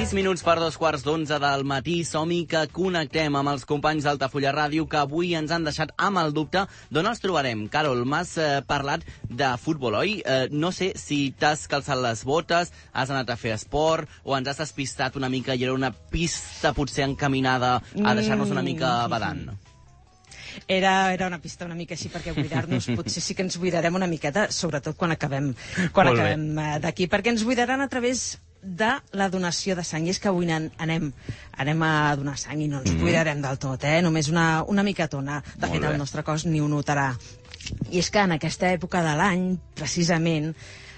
6 minuts per 2:15 del matí. Som-hi que connectem amb els companys d'Altafulla Ràdio que avui ens han deixat amb el dubte d'on els trobarem. Carol, m'has parlat de futbol, oi? No sé si t'has calçat les botes, has anat a fer esport o ens has despistat una mica i era una pista potser encaminada a deixar-nos una mica badant. Era una pista una mica així, perquè buidar-nos potser sí que ens buidarem una miqueta, sobretot quan acabem d'aquí, perquè ens buidaran a través de la donació de sang. I és que avui anem a donar sang i no ens buidarem del tot, només una micatona. De fet, el nostre cos ni ho notarà. I és que en aquesta època de l'any, precisament,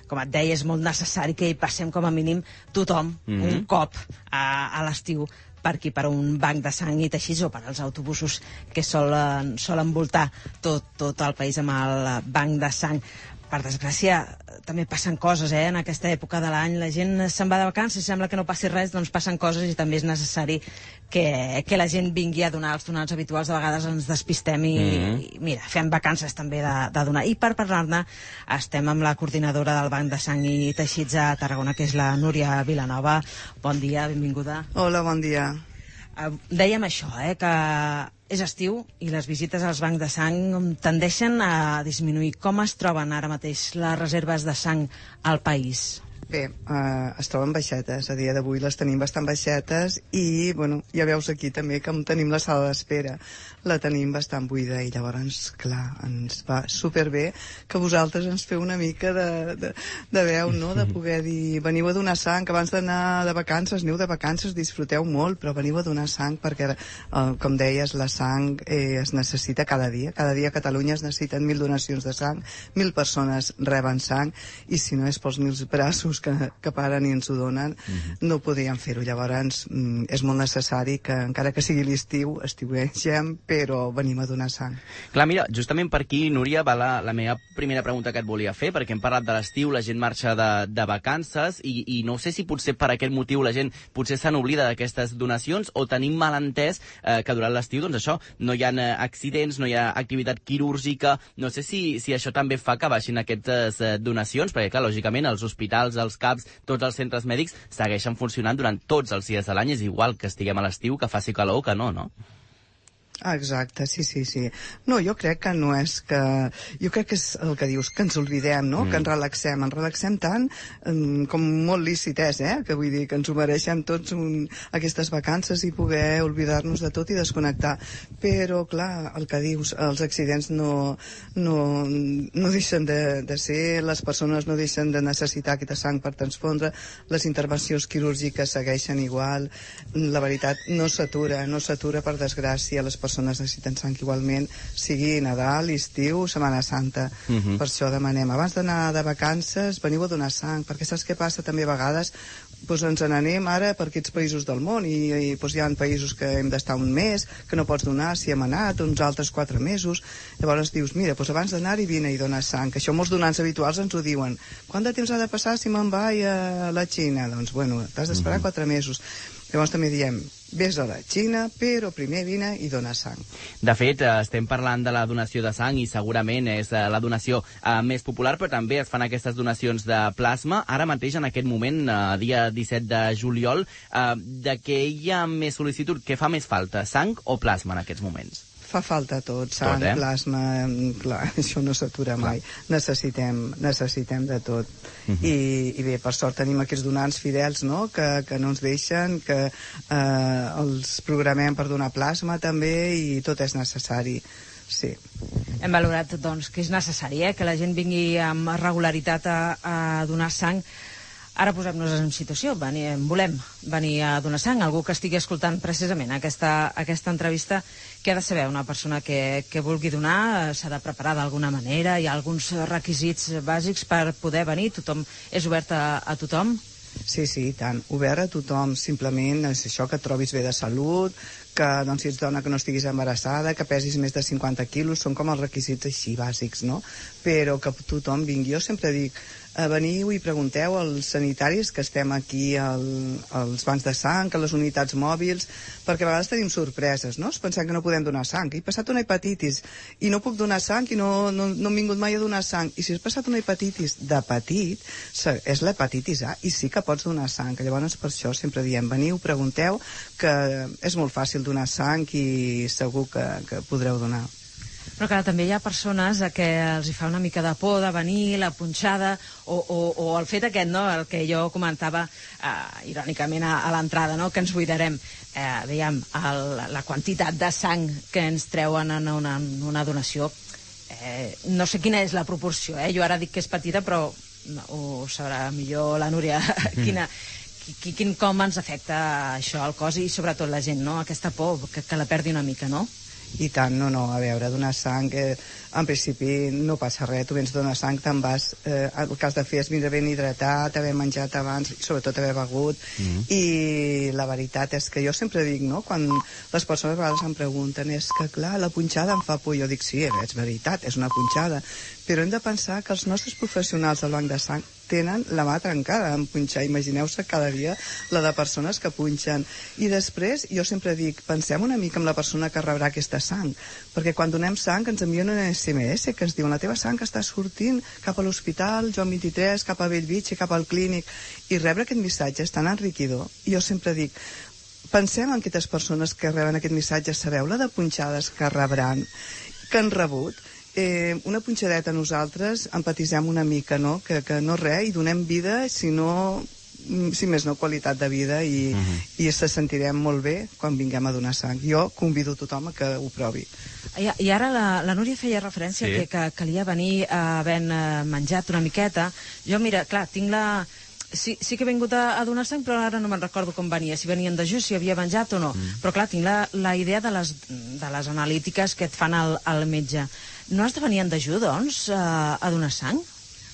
com et deia, és molt necessari que hi passem com a mínim tothom un cop a l'estiu per aquí, per un banc de sang i teixits, o per als autobusos que solen voltar tot el país amb el banc de sang. Per desgràcia, també passen coses, en aquesta època de l'any. La gent se'n va de vacances, sembla que no passi res, doncs passen coses i també és necessari que la gent vingui a donar els donants habituals. De vegades ens despistem i mira, fem vacances també de donar. I per parlar-ne estem amb la coordinadora del Banc de Sang i Teixits a Tarragona, que és la Núria Vilanova. Bon dia, benvinguda. Hola, bon dia. Dèiem això, que és estiu i les visites als bancs de sang tendeixen a disminuir. Com es troben ara mateix les reserves de sang al país? Bé, es troben baixetes. A dia d'avui les tenim bastant baixetes i, bueno, ja veus aquí també que tenim la sala d'espera. La tenim bastant buida i llavors, clar, ens va superbé que vosaltres ens feu una mica de veu, no?, de poder dir, veniu a donar sang, que abans d'anar de vacances, aneu de vacances, disfruteu molt, però veniu a donar sang perquè, com deies, la sang es necessita cada dia. Cada dia a Catalunya es necessiten 1.000 donacions de sang, 1.000 persones reben sang, i si no és pels 1.000 braços que paren i ens ho donen, no podíem fer-ho. Llavors és molt necessari que, encara que sigui l'estiu, estiuegem, però venim a donar sang. Clar, mira, justament per aquí, Núria, va la meva primera pregunta que et volia fer, perquè hem parlat de l'estiu, la gent marxa de vacances, i no sé si potser per aquest motiu la gent potser se n'oblida d'aquestes donacions, o tenim mal entès que durant l'estiu, doncs això, no hi ha accidents, no hi ha activitat quirúrgica. No sé si això també fa que baixin aquestes donacions, perquè, clar, lògicament, els hospitals, els CAPs, tots els centres mèdics segueixen funcionant durant tots els dies de l'any. És igual que estiguem a l'estiu, que faci calor o que no, no? Exacte, sí. No, jo crec que no és que... Jo crec que és el que dius, que ens oblidem, no?, que ens relaxem tant, com molt lícit és, que vull dir que ens ho mereixem tots aquestes vacances i poder oblidar-nos de tot i desconnectar. Però, clar, el que dius, els accidents no deixen de ser, les persones no deixen de necessitar aquesta sang per transfondre, les intervencions quirúrgiques segueixen igual, la veritat no s'atura per desgràcia, les persones necessiten sang igualment, sigui Nadal, estiu, Setmana Santa. Per això demanem, abans d'anar de vacances, veniu a donar sang, perquè saps què passa també a vegades? Ens n'anem ara per aquests països del món i hi ha països que hem d'estar un mes, que no pots donar, si hem anat, uns altres 4 mesos. Llavors dius, mira, abans d'anar-hi vine i donar sang, que això molts donants habituals ens ho diuen. Quant de temps ha de passar si me'n vaig a la Xina? Doncs, bueno, t'has d'esperar 4 mesos. Llavors també diem, vés a la Xina, però primer vine i dona sang. De fet, estem parlant de la donació de sang i segurament és la donació més popular, però també es fan aquestes donacions de plasma. Ara mateix, en aquest moment, dia 17 de juliol, de què hi ha més sol·licitud? Què fa més falta, sang o plasma en aquests moments? Fa falta tot, sang, plasma, clar, això no s'atura mai. Necessitem de tot. I bé, per sort tenim aquests donants fidels, no?, que no ens deixen, que els programem per donar plasma també, i tot és necessari. Sí. Hem valorat, doncs, que és necessari, que la gent vingui amb regularitat a donar sang. Ara posem-nos en situació, volem venir a donar sang. Algú que estigui escoltant precisament aquesta entrevista, que ha de saber una persona que vulgui donar, s'ha de preparar d'alguna manera, hi ha alguns requisits bàsics per poder venir, tothom és obert a tothom? Sí, tant, obert a tothom, simplement és això, que et trobis bé de salut, que doncs, si ets dona que no estiguis embarassada, que pesis més de 50 quilos, són com els requisits així bàsics, no? Però que tothom vingui. Jo sempre dic, veniu i pregunteu als sanitaris que estem aquí als bancs de sang, a les unitats mòbils, perquè a vegades tenim sorpreses, no? Pensem que no podem donar sang. He passat una hepatitis i no puc donar sang i no hem vingut mai a donar sang. I si has passat una hepatitis de petit, és l'hepatitis A i sí que pots donar sang. Llavors per això sempre diem, veniu, pregunteu, que és molt fàcil donar sang i segur que podreu donar. Però clar, també hi ha persones a què els hi fa una mica de por de venir, la punxada, o el fet aquest, no?, el que jo comentava irònicament a l'entrada, no?, que ens buidarem. Veiem, la quantitat de sang que ens treuen en una donació, no sé quina és la proporció, jo ara dic que és petita, però ho sabrà millor la Núria, com ens afecta això al cos i sobretot la gent, no?, aquesta por, que la perdi una mica, no? I tant, no, a veure, donar sang, en principi no passa res, tu vens a donar sang, te'n vas, el que has de fer és vindre ben hidratat, haver menjat abans, sobretot haver begut, i la veritat és que jo sempre dic, no?, quan les persones a vegades em pregunten, és que clar, la punxada em fa por, jo dic, sí, és veritat, és una punxada, però hem de pensar que els nostres professionals del banc de sang tenen la mà trencada en punxar. Imagineu-se cada dia la de persones que punxen. I després, jo sempre dic, pensem una mica en la persona que rebrà aquesta sang, perquè quan donem sang ens envien un SMS que ens diu la teva sang està sortint cap a l'hospital Joan 23, cap a Bellvitge, cap al clínic, i rebre aquest missatge és tan enriquidor. I jo sempre dic, pensem en aquestes persones que reben aquest missatge, sabeu la de punxades que rebran, que han rebut. Una punxadeta nosaltres empatitzem una mica, no? Que no res, i donem vida, si més no qualitat de vida, i se sentirem molt bé quan vinguem a donar sang. Jo convido tothom a que ho provi. I ara la Núria feia referència que calia venir havent menjat una miqueta. Jo, mira, clar, tinc la... Sí que he vingut a donar sang, però ara no me'n recordo com venia, si venien dejú, si havia menjat o no. Però clar, tinc la idea de les analítiques que et fan al metge. No has de venir en dejú, doncs, a donar sang?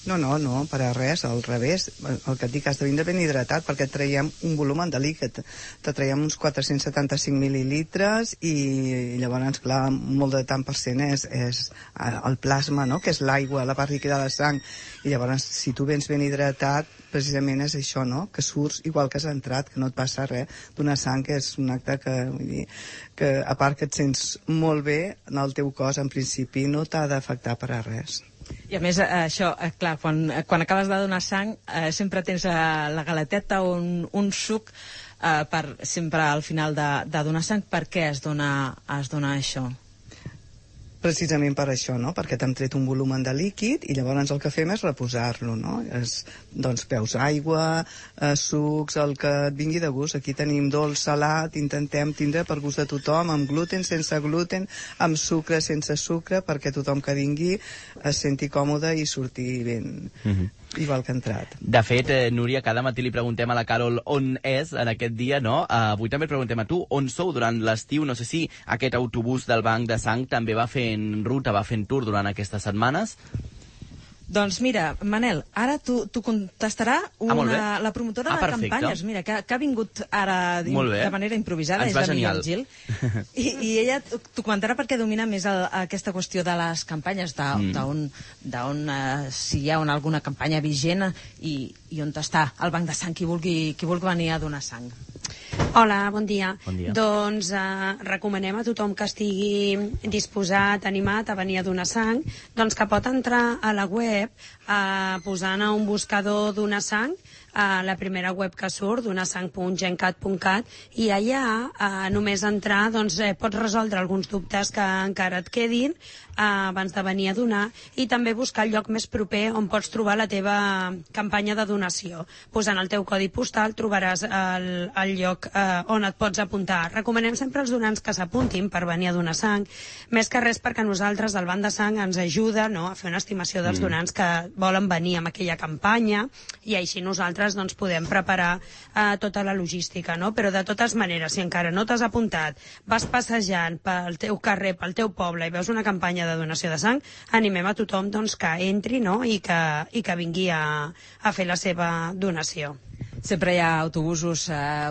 No, per a res, al revés. El que et dic, has de vindre ben hidratat perquè et traiem un volum de líquid. Te traiem uns 475 mil·lilitres i llavors, clar, molt de tant per cent és el plasma, no?, que és l'aigua, la part líquida de la sang. I llavors, si tu vens ben hidratat, precisament és això, no?, que surts igual que has entrat, que no et passa res. Donar sang és un acte que, vull dir, que a part que et sents molt bé, en el teu cos, en principi, no t'ha d'afectar per a res. I a més, això, clar, quan acabes de donar sang, sempre tens la galeteta o un suc sempre al final de donar sang. Per què es dona això? Precisament per això, no?, perquè t'hem tret un volum de líquid i llavors el que fem és reposar-lo, no? Doncs beus aigua, sucs, el que et vingui de gust. Aquí tenim dolç, salat, intentem tindre per gust de tothom, amb gluten, sense gluten, amb sucre, sense sucre, perquè tothom que vingui es senti còmode i surti ben... igual que ha entrat. De fet, Núria, cada matí li preguntem a la Carol on és en aquest dia, no? Avui també et preguntem a tu on sou durant l'estiu. No sé si aquest autobús del Banc de Sang també va fent ruta, va fent tour durant aquestes setmanes. Doncs mira, Manel, ara t'ho contestarà la promotora de campanyes, mira, que ha vingut ara de manera improvisada, és la Miguel Gil, i ella t'ho comentarà perquè domina més aquesta qüestió de les campanyes, si hi ha alguna campanya vigent i on està el Banc de Sang, qui vulgui venir a donar sang. Hola, bon dia. Doncs recomanem a tothom que estigui disposat, animat a venir a donar sang, doncs que pot entrar a la web posant a un buscador donar sang, la primera web que surt, donasang.gencat.cat, i allà només entrar pots resoldre alguns dubtes que encara et quedin abans de venir a donar, i també buscar el lloc més proper on pots trobar la teva campanya de donació. Posant el teu codi postal trobaràs el lloc on et pots apuntar. Recomanem sempre als donants que s'apuntin per venir a donar sang, més que res perquè nosaltres, el Banc de Sang, ens ajuda a fer una estimació dels donants que volen venir amb aquella campanya, i així nosaltres podem preparar tota la logística, no? Però de totes maneres, si encara no t'has apuntat, vas passejant pel teu carrer, pel teu poble, i veus una campanya de donació de sang, animem a tothom que entri, no?, i que vingui a fer la seva donació. sempre hi ha autobusos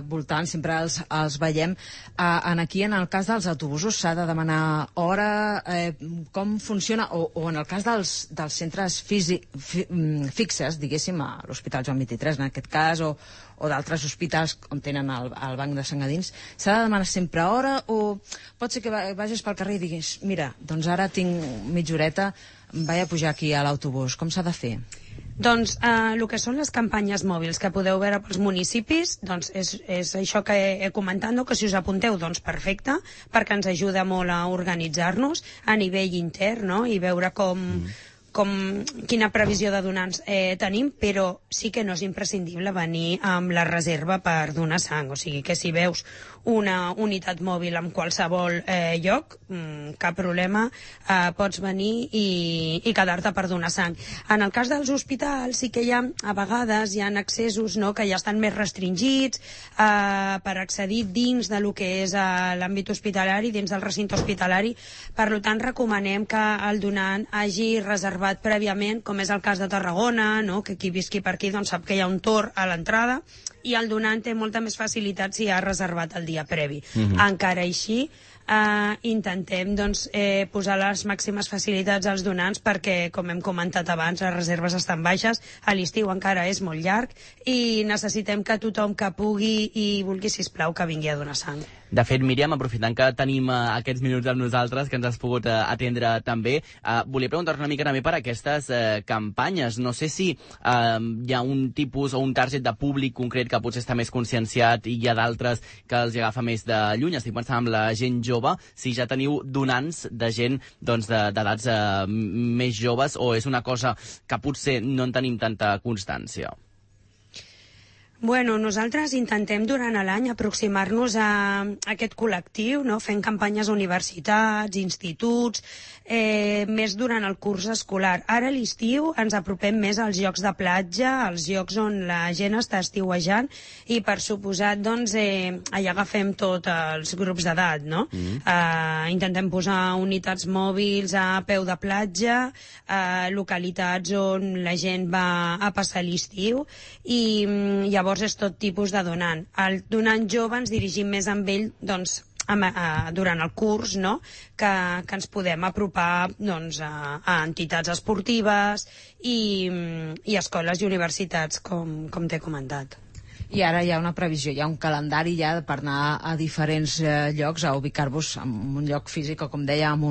voltant, sempre els veiem. Aquí, en el cas dels autobusos, s'ha de demanar hora, com funciona, o en el cas dels centres fixes, diguéssim, a l'Hospital Joan 23, en aquest cas, o d'altres hospitals on tenen el banc de sang a dins, s'ha de demanar sempre hora, o pot ser que vagis pel carrer i diguis, mira, doncs ara tinc mitja horeta, vaig a pujar aquí a l'autobús. Com s'ha de fer? Doncs el que són les campanyes mòbils que podeu veure pels municipis, doncs és això que he comentat, no? Que si us apunteu, doncs perfecte, perquè ens ajuda molt a organitzar-nos a nivell intern, no? I veure quina previsió de donants tenim, però sí que no és imprescindible venir amb la reserva per donar sang. O sigui que si veus una unitat mòbil en qualsevol lloc, cap problema, pots venir i quedar-te per donar sang. En el cas dels hospitals sí que a vegades hi ha accessos, no?, que ja estan més restringits per accedir dins de lo que és l'àmbit hospitalari, dins del recinte hospitalari. Per tant, recomanem que el donant hagi reservat prèviament, com és el cas de Tarragona, no?, que qui visqui per aquí doncs sap que hi ha un torn a l'entrada, i el donant té molta més facilitat si ha reservat el dia previ. Encara així, intentem posar les màximes facilitats als donants perquè, com hem comentat abans, les reserves estan baixes, a l'estiu encara és molt llarg i necessitem que tothom que pugui i vulgui, sisplau, que vingui a donar sang. De fet, Míriam, aprofitant que tenim aquests minuts amb nosaltres, que ens has pogut atendre també, volia preguntar una mica també per aquestes campanyes. No sé si hi ha un tipus o un target de públic concret que potser està més conscienciat i hi ha d'altres que els agafa més de lluny. Estic pensant amb la gent jove, si ja teniu donants de gent d'edats més joves, o és una cosa que potser no en tenim tanta constància? Bueno, nosaltres intentem durant l'any aproximar-nos a aquest col·lectiu, no?, fent campanyes a universitats, instituts, més durant el curs escolar. Ara a l'estiu ens apropem més als llocs de platja, als llocs on la gent està estiuejant, i per suposat, allà agafem tots els grups d'edat, no? Intentem posar unitats mòbils a peu de platja, localitats on la gent va a passar l'estiu, i llavors és tot tipus de donant. El donant jove ens dirigim més amb ell, durant el curs, no?, que ens podem apropar a entitats esportives i escoles i universitats, com t'he comentat. I ara hi ha una previsió, hi ha un calendari ja per anar a diferents llocs, a ubicar-vos en un lloc físic, o com deia, amb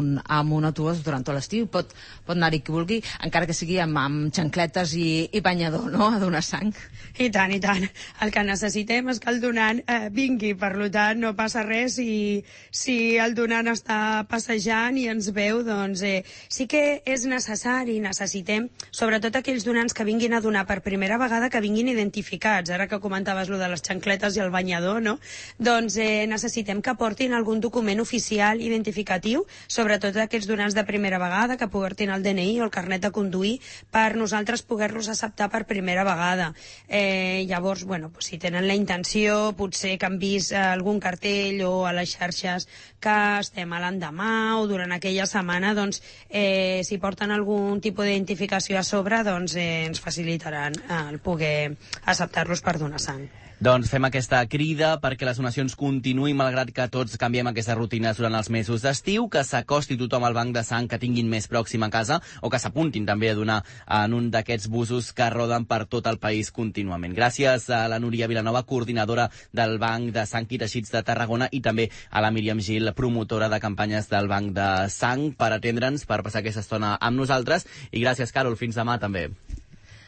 un autobús durant tot l'estiu. Pot anar-hi qui vulgui, encara que sigui amb xancletes i banyador, no?, a donar sang. I tant, i tant. El que necessitem és que el donant vingui, per tant no passa res, i si el donant està passejant i ens veu, doncs sí que és necessari, necessitem, sobretot aquells donants que vinguin a donar per primera vegada, que vinguin identificats. Ara que comentaves lo de les xancletes i el banyador, no?, doncs necessitem que portin algun document oficial identificatiu, sobretot aquells donants de primera vegada, que portin el DNI o el carnet de conduir, per nosaltres poder-los acceptar per primera vegada. Llavors, si tenen la intenció, potser que han vist algun cartell o a les xarxes que estem a l'endemà o durant aquella setmana, doncs si porten algun tipus d'identificació a sobre, doncs ens facilitaran el poder acceptar-los per donar sang. Doncs fem aquesta crida perquè les donacions continuïn, malgrat que tots canviem aquestes rutines durant els mesos d'estiu, que s'acosti tothom al banc de sang que tinguin més pròxim a casa, o que s'apuntin també a donar en un d'aquests busos que roden per tot el país contínuament. Gràcies a la Núria Vilanova, coordinadora del Banc de Sang i Teixits de Tarragona, i també a la Míriam Gil, promotora de campanyes del Banc de Sang, per atendre'ns, per passar aquesta estona amb nosaltres. I gràcies, Carol. Fins demà també.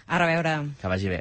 A reveure. Que vagi bé.